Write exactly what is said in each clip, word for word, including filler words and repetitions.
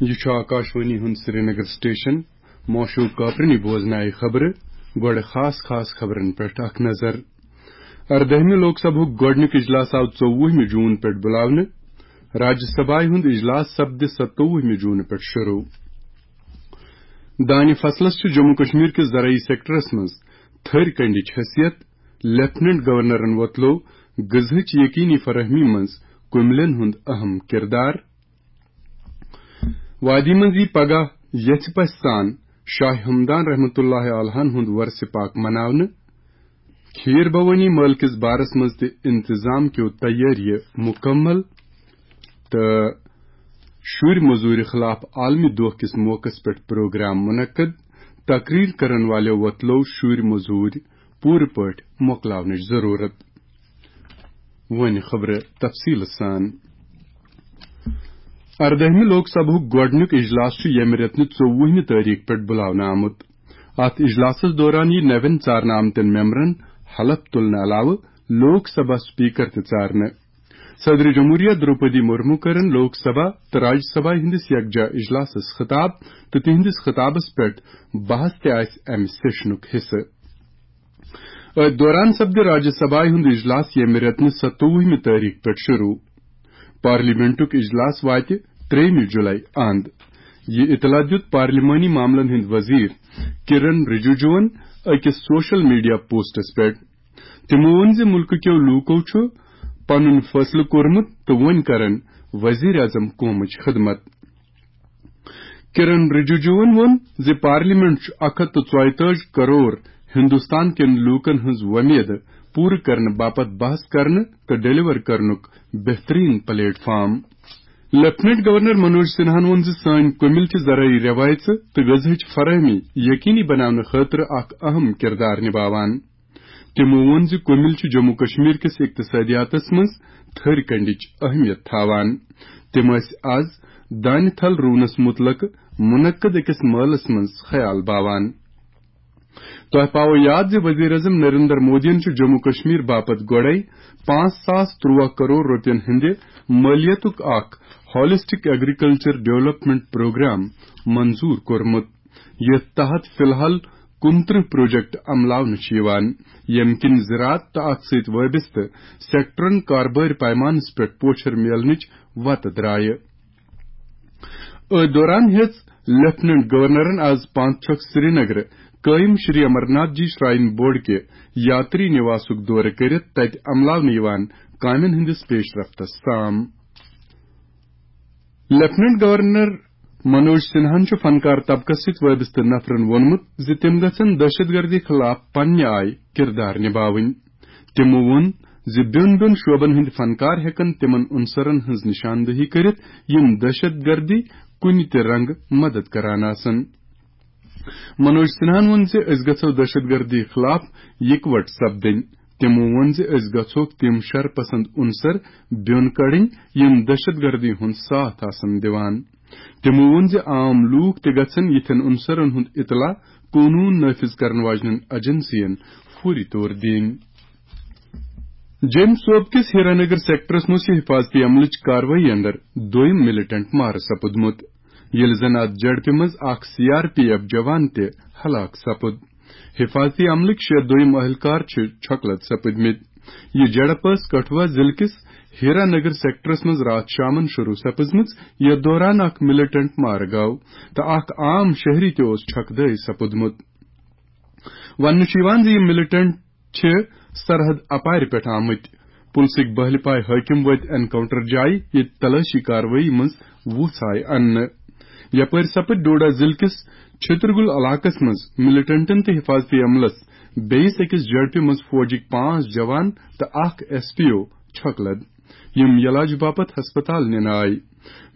یہِ چھُ آکاشوانی ہُنٛد سرینگر سٹیشن۔ موشوق کاپرنی بوزنایہِ خبرٕ۔ گۄڈٕ خاص خاص خبرن پٮ۪ٹھ اکھ نظر۔ اردٲہمہِ لوک سبھُک گۄڈٕنیُک اجلاس آو ژوٚوُہمہِ جوٗن پٮ۪ٹھ بُلاونہٕ۔ راجیہ سبھایہِ ہُنٛد اجلاس سپدِ ستووُہمہِ جوٗنہٕ پٮ۪ٹھ شروٗع۔ دانہِ فصلس چھُ جموں کشمیر کِس زرعی سیکٹرس منٛز تھٔرۍ کنڈِچ حیثیت۔ لیفٹیننٹ گورنرن وۄتلوو غذہٕچ یقینی فراہمی منٛز کُملٮ۪ن ہُنٛد اہم کردار۔ وادی منٛز یی پگاہ یژھِ پژھِ سان شاہ ہمدان رحمتہ اللہ علیہن ہُنٛد ورثہ پاک مناونہٕ۔ کھیٖر بھوٲنی مٲلہٕ کِس بارس منٛز تہِ انتظام کیو تیٲریہِ مُکمل۔ تہٕ شُرۍ مٔزوٗرِ خلاف عالمی دۄہ کِس موقعس پٮ۪ٹھ پروگرام منعقد۔ تقریر کرن والٮ۪و وۄتلوو شُرۍ مٔزوٗرۍ پوٗرٕ پٲٹھۍ مۄکلاونٕچ ضروٗرت۔ وۄنۍ خبرٕ تفصیٖل سان۔ اردٲہمہِ لوک سبھُک گۄڈٕنیُک اجلاس چھُ ییٚمہِ رٮ۪تہٕ نہِ ژوٚوُہمہِ تٲریخ پٮ۪ٹھ بُلاونہٕ آمُت۔ اتھ اجلاسس دوران یِیہِ نوٮ۪ن ژارنہٕ آمتٮ۪ن ممبرن حلف تُلنہٕ علاوٕ لوک سبھا سپیکر تہِ ژارنہٕ۔ صدر جمہوریہ دروپدی مرمو کٔرٕن لوک سبھا تہٕ راجیہ سبھا ہٕنٛدِس یکجا اجلاسس خطاب، تہٕ تِہنٛدِس خطابس پٮ۪ٹھ بحث تہِ آسہِ امہِ سیشنُک حصہٕ۔ أتھۍ دوران سپدِ راجیہ سبھایہِ ہُنٛد اجلاس ییٚمہِ رٮ۪تہٕ نہِ ستووُہمہِ تٲریخ پٮ۪ٹھ شروٗع۔ پارلیمنٹُک اجلاس واتہِ ترٛیٚیِمہِ جُلای اند۔ یہِ اطلاع دیُت پارلیمانی معاملن ہٕنٛدۍ وزیر کرن رجیجوَن أکِس سوشل میڈیا پوسٹس پٮ۪ٹھ۔ تِمو ووٚن زِ مُلکہٕ کیو لوٗکو چھُ پنُن فٲصلہٕ کوٚرمُت تہٕ وۄنۍ کرن وزیر اعظم قومٕچ خدمت۔ کرن رجیجوَن ووٚن زِ پارلیمنٹ چھُ اکھ ہتھ تہٕ ژۄیتٲجی کرور ہندوستان کٮ۪ن لوٗکن ہٕنٛز وۄمید پوٗرٕ کرنہٕ باپتھ بحث کرنہٕ تہٕ ڈیلیور کرنُک بہترین platform. Lieutenant governor Manoj سنہاہن ووٚن زِ سٲنۍ کُمِل چھِ زرعی رٮ۪وایژٕ تہٕ غذہٕچ فراہمی یقینی بناونہٕ خٲطرٕ اکھ اہم کردار نباوان۔ تِمو ووٚن زِ کُمِل چھِ جموں کشمیر کِس اقتصٲدیاتس منٛز تھٔرۍ کنڈِچ اہمیت تھاوان۔ تِم ٲسۍ از دانہِ تھل رُونس مُتعلق منعقد أکِس مٲلس منٛز خیال باوان۔ تۄہہِ پاوو یاد زِ وزیر اعظم نریندر مودیَن چھُ جموں کشمیر باپتھ گۄڈَے پانٛژھ ساس تُرٛواہ کرور رۄپین ہٕنٛدِ مٲلیتُک اکھ ہالسٹک ایگریکلچر ڈیولپمنٹ پروگرام منظور کوٚرمُت، یتھ تحت فی الحال کُنترٕہ پروجیکٹ عملاونہٕ چھِ یِوان، ییٚمہِ کِنۍ زراعت تہٕ اتھ سۭتۍ وابستہٕ سیکٹرن کاربٲرۍ پیمانس پٮ۪ٹھ پوچھر میلنٕچ وتہٕ درایہِ۔ أتھۍ دوران ہیٚژ لیفٹیننٹ گورنرن از پانٛژھ چھۄکھ سرینگرٕ قٲیِم شری امرناتھ جی شراین بورڈ کہِ یاتری نواسُک دورٕ کٔرِتھ تتہِ عملاونہٕ یِوان کامٮ۪ن ہٕنٛدِس پیش رفتس تام۔ لیفٹیننٹ گورنر منوج سنہاہن چھُ فنکار طبقس سۭتۍ وابستہٕ نفرن ووٚنمُت زِ تِم گژھن دہشت گردی خلاف پننہِ آیہِ کردار نباوٕنۍ۔ تِمو ووٚن زِ بیوٚن بیوٚن شعبن ہٕنٛدۍ فنکار ہٮ۪کن تِمن عنصرن ہٕنٛز نشاندہی کٔرِتھ، یِم دہشت گردی کُنہِ تہِ رنگہٕ مدد کران آسن۔ منوج سنہاہن ووٚن زِ أسۍ گژھو دہشت گردی خلاف یکوٹ سپدٕنۍ۔ تِمو ووٚن زِ أسۍ گژھوکھ تِم شر پسند عنصر بیوٚن کڑٕنۍ، یِم دہشت گردی ہُنٛد ساتھ آسن دِوان۔ تِمو ووٚن زِ عام لوٗکھ تہِ گژھن یِتھٮ۪ن عنصرن ہُنٛد اطلاع قونوٗن نافذ کرن واجنٮ۪ن ایجنسین فوری طور دِنۍ۔ جیٚمۍ صوبہٕ کِس ہیرانگر سیکٹرس منٛز چھِ حفاظتی عملٕچ کاروٲیی اندر دوٚیِم ملیٹنٹ مارٕ سپُدمُت، ییٚلہِ زن اتھ جھڑپہِ منٛز اکھ سی آر پی ایف جوان تہِ ہلاک سپُد۔ حفاظتی عملٕکۍ شےٚ دوٚیِم اہلکار چھِ چھۄکلد سپٕدمٕتۍ۔ یہِ جھڑپ ٲس کٹھوا ضلعہٕ کِس ہیرا نگر سیکٹرس منٛز راتھ شامن شروع سپٕزمٕژ، یتھ دوران اکھ ملیٹنٹ مارٕ گوٚو تہٕ اکھ عام شہری تہِ اوس چھۄکدٲے سپُدمُت۔ وننہٕ چھُ یِوان زِ یِم ملیٹنٹ چھِ سرحد اپارِ پٮ۪ٹھ آمٕتۍ۔ پُلسٕکۍ بہلہِ پاے حٲکِم وٲتۍ انکاونٹر جایہِ، ییٚتہِ تلٲشی کاروٲیی منٛز وُژھ آیہِ اننہٕ۔ یپٲرۍ سپٕدۍ ڈوڈا ضلعہٕ کِس چھترگُل علاقس منٛز ملیٹنٹن تہٕ حفاظتی عملس بیٚیِس أکِس جھڑپہِ منٛز فوجٕکۍ پانٛژھ جوان تہٕ اکھ ایس پی او چھۄکلد، یِم علاج باپتھ ہسپتال نِنہٕ آیہِ۔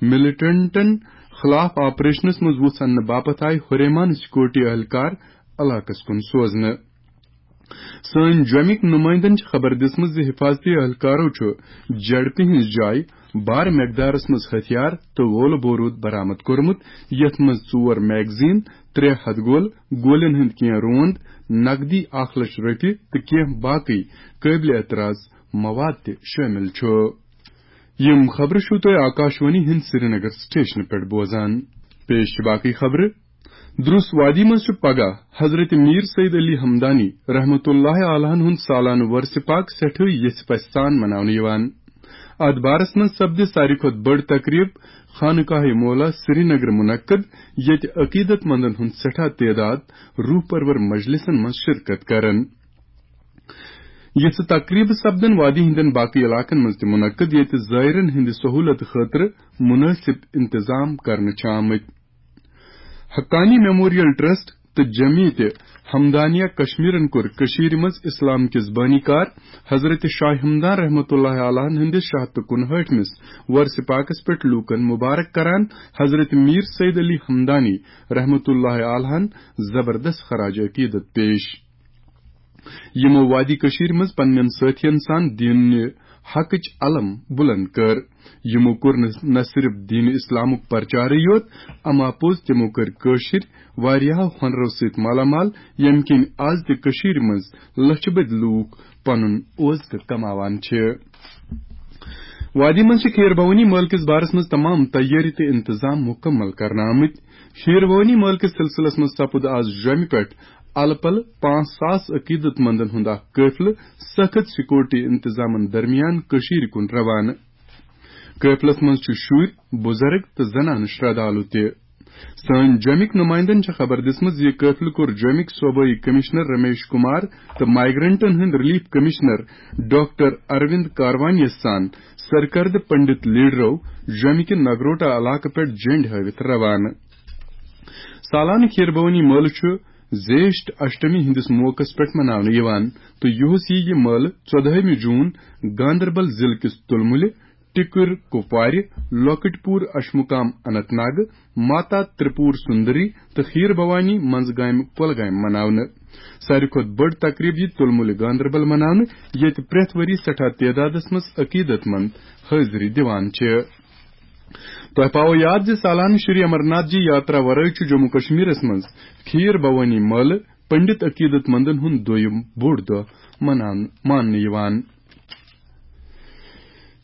ملیٹنٹن خلاف آپریشنس منٛز وُژھ اننہٕ باپتھ آیہِ ہُریمان سیکورٹی اہلکار علاقس کُن سوزنہٕ۔ سٲنۍ جوٚمِکۍ نُمٲیندن چھِ خبر دِژمٕژ زِ حفاظتی اہلکارو چھُ جھڑپہِ ہٕنٛز جایہِ بار مقدارس منٛز ہتھیار تہٕ گولہٕ بوروٗد برآمد کوٚرمُت، یتھ منٛز ژور میگزین، ترٛےٚ ہتھٕ گولہٕ، گولٮ۪ن ہٕنٛدۍ کینٛہہ روند، نقدی اکھ لچھ رۄپیہِ تہٕ کینٛہہ باقٕے قٲبلِ اعتراض مواد تہِ شٲمِل چھُ۔ یِم خبرٕ چھِو تُہۍ آکاشوانی ہٕنٛدِ سرینگر سٹیشنہٕ پٮ۪ٹھ بوزان۔ پیش چھِ باقٕے خبرٕ۔ درُس وادی منٛز چھُ پگاہ حضرت میر سید علی ہمدانی رحمتہ اللہ علیہن ہُنٛد سالانہٕ ورثہ پاک سٮ۪ٹھٕے یژھِ پژھِ سان مناونہٕ یِوان۔ اتھ بارس منٛز سپدِ ساروی کھۄتہٕ بٔڑ تقریب خانقاہ مولا سرینگر منعقد، ییٚتہِ عقیدت مندن ہُنٛد سٮ۪ٹھاہ تعداد روح پرور مجلسن منٛز شرکت کرن۔ یِژھٕ تقریبہٕ سپدن وادی ہٕنٛدٮ۪ن باقٕے علاقن منٛز تہِ منعقد، ییٚتہِ زائرن ہٕنٛدِ سہولت خٲطرٕ مناسب انتظام کرنہٕ چھِ آمٕتۍ۔ حقانی میموریل ٹرسٹ تہٕ جمعیت ہمدانیہ کشمیرن کوٚر کٔشیٖرِ منٛز اسلام کِس بٲنی کار حضرت شاہ ہمدان رحمتہ اللہ علیہن ہٕنٛدِس شاہ تہٕ کُنہٲٹھمِس ورثہ پاکس پٮ۪ٹھ لوٗکن مبارک کران حضرت میر سید علی ہمدانی رحمتہ اللہ علیہن زبردست خراج عقیدت پیش۔ یِمو وادی کٔشیٖرِ منٛز پننٮ۪ن سٲتھین سان دیٖنِ حقٕچ علم بلند کٔر۔ یِمو کوٚر نہٕ، نہ صرف دیٖنِ اسلامُک پرچارٕے یوت، اما پوٚز تِمو کٔرۍ کٲشِر واریاہو ہۄنرو سۭتۍ مالا مال، ییٚمہِ کِنۍ آز تہِ کٔشیٖرِ منٛز لچھِ بٔدۍ لوٗکھ پنُن اوزکہٕ کماوان چھِ۔ وادی منٛز چھِ کھیٖر بھوانی مٲلہٕ کِس بارس منٛز تمام تیٲری تہٕ انتظام مُکمل کرنہٕ آمٕتۍ۔ کھیٖر بھوانی مٲلہٕ کِس سلسلس منٛز سپُد آز جوٚمہِ پٮ۪ٹھ الہٕ پلہٕ پانٛژھ ساس عقیدت مندن ہُنٛد اکھ قٲفلہٕ سخت سیکورٹی انتظامن درمیان کٔشیٖرِ کُن روانہٕ۔ قٲفلس منٛز چھِ شُرۍ، بُزرگ تہٕ زنانہٕ شردھالو تہِ۔ سٲنۍ جوٚمِکۍ نُمایندن چھےٚ خبر دِژمٕژ زِ یہِ قٲفلہٕ کوٚر جوٚمِکۍ صوبٲئی کمشنر رمیش کمار تہٕ مائیگرنٹن ہٕنٛدۍ ریلیف کمشنر ڈاکٹر اروند کاروانیَس سان سرکردٕ پنڈت لیڈرو جوٚمہِ کہِ نگروٹا علاقہٕ پٮ۪ٹھ جنڈ ہٲوِتھ روانہٕ۔ سالانہٕ کھیٖر بھوانی مٲلہٕ چھُ زیشٹھ اشٹمی ہٕنٛدِس موقعس پٮ۪ٹھ مناونہٕ یِوان تہٕ یُہُس یِیہِ یہِ مٲلہٕ ژۄدہٲمہِ جوٗن گاندربل ضلعہٕ کِس تُلمُلہِ، ٹِکُر کُپوارِ، لۄکٕٹۍ پوٗر اشمُقام اننت ناگہٕ، ماتا ترپور سُندری تہٕ کھیٖر بھوانی منٛزگامہِ کۄلگامہِ مناونہٕ۔ ساروی کھۄتہٕ بٔڑ تقریب یِیہِ تُلمُلہِ گاندربل مناونہٕ، ییٚتہِ پرٛٮ۪تھ ؤری سٮ۪ٹھاہ تعدادس منٛز عقیدت مند حٲضری دِوان چھِ۔ تۄہہِ پاوو یاد زِ سالانہٕ شری امرناتھ جی یاترا ورٲے چھُ جموں کشمیرس منٛز کھیٖر بھوانی مٲلہٕ پنڈت عقیدت مندن ہُنٛد دوٚیِم بوٚڑ دۄہ مناونہٕ، ماننہٕ یِوان۔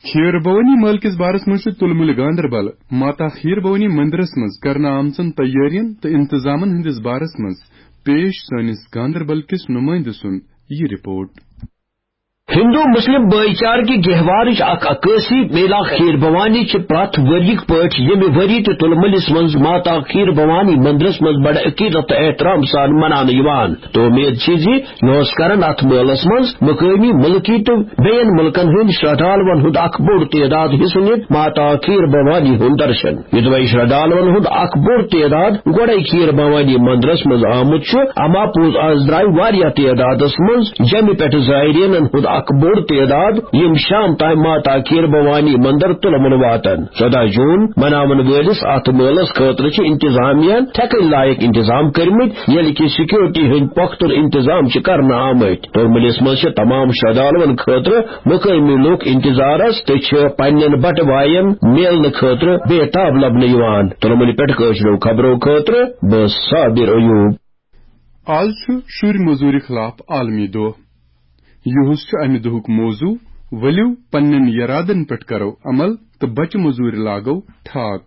کھیٖر بھوانی مٲلہٕ کِس بارس منٛز چھُ تُلمُلہِ گاندربل ماتا کھیٖر بھوانی مندرس منٛز کرنہٕ آمژن تیٲرین تہٕ انتظامن ہٕنٛدِس بارس منٛز پیش سٲنِس گاندربل کِس نُمٲیندٕ سُنٛد یہِ رپورٹ۔ ہندو مسلم بھائی چارٕ کہِ گہوارٕچ اکھ عکٲسی میلا کھیٖر بھوانی چھِ پرٛٮ۪تھ ؤریِک پٲٹھۍ ییٚمہِ ؤری تہِ تُلمُلِس منٛز ماتا کھیٖر بھوانی مندرس منٛز بڑٕ عقیدت تہٕ احترام سان مناونہٕ یِوان تہٕ اُمید چھِ زِ یِہُس کرن اتھ مٲلس منٛز مقٲمی مُلکی تہٕ بیٚین مُلکن ہٕنٛدۍ شرٛدھالوَن ہُنٛد اکھ بوٚڑ تعداد حصہٕ نِتھ ماتا کھیٖر بھوانی ہُنٛد درشن۔ یوٚدوَے شرٛدھالوَن ہُنٛد اکھ بوٚڑ تعداد گۄڈَے کھیٖر بھوانی مندرس منٛز آمُت چھُ، اما پوٚز از درٛاے واریاہ تعدادس منٛز جمہِ پٮ۪ٹھ زائرینن ہُنٛد اکھ بوٚڑ تعداد، یِم شام تام ماتا کھیٖر بھوانی مندر تُلمُل واتن۔ ژۄداہ جوٗن مناون وٲلِس اتھ مٲلس خٲطرٕ چھِ انتظامیہ تھٮ۪کٕنۍ لایق انتظام کٔرمٕتۍ، ییٚلہِ کہِ سیکورٹی ہٕنٛدۍ پۄختہٕ انتظام چھِ کرنہٕ آمٕتۍ۔ تُلمُلِس منٛز چھِ تمام شرٛدھالوَن خٲطرٕ مقٲمی لوٗکھ انتظارس تہٕ چھِ پننٮ۪ن بٹہٕ باین میلنہٕ خٲطرٕ بے تاب لبنہٕ یِوان۔ تُلمُلہِ پٮ۪ٹھ کٲشرٮ۪و خبرو خٲطرٕ بہٕ صابر ایوب۔ آز چھُ شُرۍ مٔزوٗرِ خلاف عالمی دۄہ۔ یِہُس چھُ امہِ دۄہُک موضوع، ؤلِو پننٮ۪ن یرادن پٮ۪ٹھ کرو عمل تہٕ بچہِ مٔزوٗرِ لاگو ٹھاک۔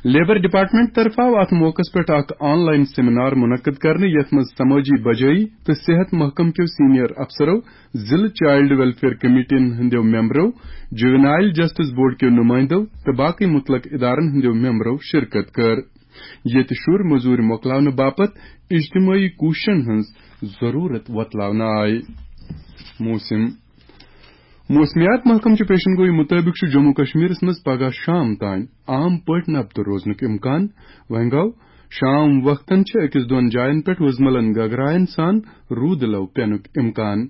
لیبر ڈپارٹمنٹ طرفہٕ آو اتھ موقعس پٮ۪ٹھ اکھ آن لائن سیمینار منعقد کرنہٕ، یتھ منٛز سمٲجی بجٲیی تہٕ صحت محکمہٕ کیو سینئر افسرو، ضلعہٕ چائلڈ ویلفیئر کمیٹین ہٕنٛدیو ممبرو، جوینائل جسٹس بورڈ کیو نمائندو تہٕ باقی متعلق ادارن ہٕنٛدیو ممبرو شرکت کٔر، ییٚتہِ شُرۍ مٔزوٗرۍ مۄکلاونہٕ باپتھ اجتماعی کوٗششن ہٕنٛز ضروٗرت وۄتلاونہٕ آیہِ۔ موسم۔ موسمیات محکمہٕ چہِ پیشن گویی مُطٲبِق چھُ جموں کشمیرس منٛز پگاہ شام تام عام پٲٹھۍ نبتہٕ روزنُک امکان۔ وۄنۍ گوٚو، شام وقتن چھِ أکِس دۄن جاین پٮ۪ٹھ وُزملن گگراین سان روٗدٕ لو پینُک امکان۔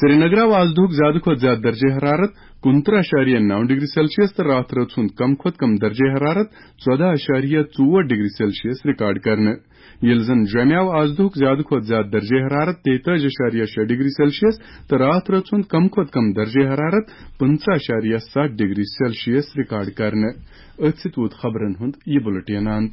سرینگر آو آز دۄہُک زیادٕ کھۄتہٕ زیادٕ درجہ حرارت کُنترٕہ اعشاریہ نو ڈگری سیلسیس تہٕ راتھ رٲژ ہُنٛد کم کھۄتہٕ کم درجہ حرارت ژۄداہ اعشاریہ ژور ڈگری سیلسیس ریکارڈ کرنہٕ۔ ییٚلہِ زن جوٚمہِ آو آز دۄہُک زیادٕ کھۄتہٕ زیادٕ درجہ حرارت تیتٲجی اعشاریہ شےٚ ڈگری سیلسیس تہٕ راتھ رٲژ ہُنٛد کم کھۄتہٕ کم درجہ حرارت پٕنٛژٕہ اعشاریہ ستھ ڈگری سیلسیس ریکارڈ کرنہٕ۔ أتھۍ سۭتۍ ووت خبرن ہُنٛد یہِ بُلٹین اند۔